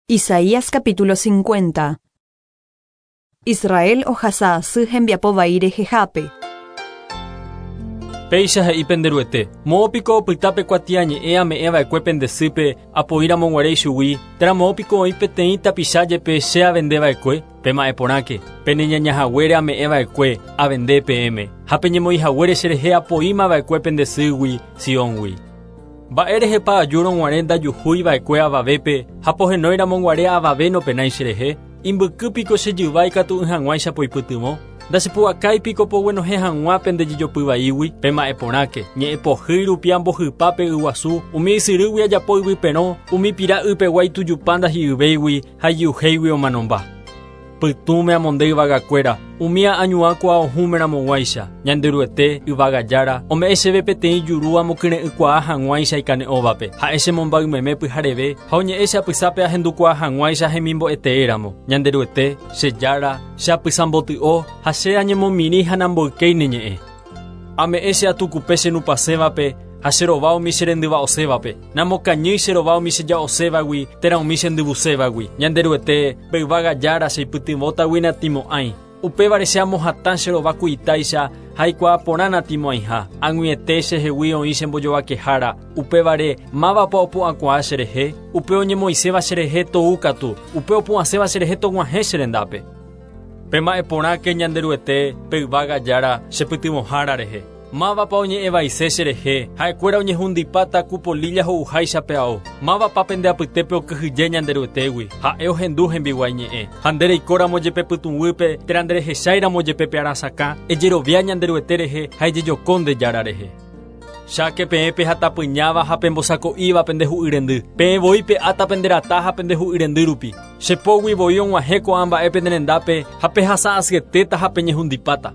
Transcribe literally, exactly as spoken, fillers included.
Isaías capítulo cincuenta. Israel ohasa asy hembiapo vai rehehápe. Péicha he'i penderuete, moõ piko opyta pe kuatiañe'ẽ ame'ẽva'ekue pendesýpe apoíramoguare ichugui, térã moõ piko oĩ peteĩ tapicha jepe che avendeva'ekue, pema'ẽporãke, peneñañahaguére ame'ẽva'ekue avende peẽme, ha peñemoĩhaguére cherehe apoímava'ekue pendesýgui Sióngui. Mba'érehepa ajúrõguare ndajuhúiva'ekue avavépe ha pohenoiramoguare avave nopenái cherehe, imbyky piko che jyva ikatu'ỹ hag̃uáicha poipytyvõ, ndachepu'akáipiko poguenohẽ hag̃ua pendejejopyvaígui, pema'ẽporãke, ñe'ẽpohýi rupi ambohypa pe yguasu, umi ysyrýgui ajapo yvyperõ, umi pira ypegua itujupa ndahi'yvéigui ha ijyuhéigui omanomba. Pytũme amonde yvagakuéra, umi añuãkua ohũmeramoguáicha, Ñanderuete yvagajára, ome'ẽ chéve peteĩ juru amokyre'ỹkuaa hag̃uáicha ikane'õvape, ha'e chemombaymeme pyhareve ha oñe'ẽ che apysápe ahendukuaa hag̃uáicha hemimbo'eteéramo. Ñanderuete, che jára, che apysamboty'o ha che añemomirĩ ha namboykéi ne ñe'ẽ. Ame'ẽ che atukupe che nupasẽvape ha che rova umi che rendyva'osévape, namokañýi che rova umi che ja'osévagui térã umi che ndyvusévagui. Ñanderuete pe yvagajára cheipytyvõtagui natĩmo'ãi. Upévare che amohatã che rova kuitáicha ha aikuaa porã natĩmo'ãiha. Ag̃uiete chehegui oĩ chembojovakehára. Upévare mávapa opu'ãkuaa cherehe, upe oñemoĩséva cherehe tou katu, upe opu'ãséva cherehe tog̃uahẽ cherendápe. Pema'ẽporãke Ñanderuete pe yvagajára chepytyvõhára rehe. Mávapa oñe'ẽvaise cherehe, ha'ekuéra oñehundipáta ku polilla ho'uháicha pe ao. Mávapa pende apytépe okyhyje Ñanderuetégui, ha'e ohendu hembiguái ñe'ẽ. Ha nde reikóramo jepe pytũguýpe térã nderehecháiramo jepe pe arasakã, ejerovia Ñanderuete rehe ha ejejoko nde jára rehe. Cháke peẽ pehatapyñáva ha pembosako'íva pendehu'yrendy. Peẽ voi pe'áta penderata ha pendehu'yrendy rupi. Chepógui voi og̃uahẽ ko'ã mba'e penderendápe ha pehasa asyetéta ha peñehundipáta.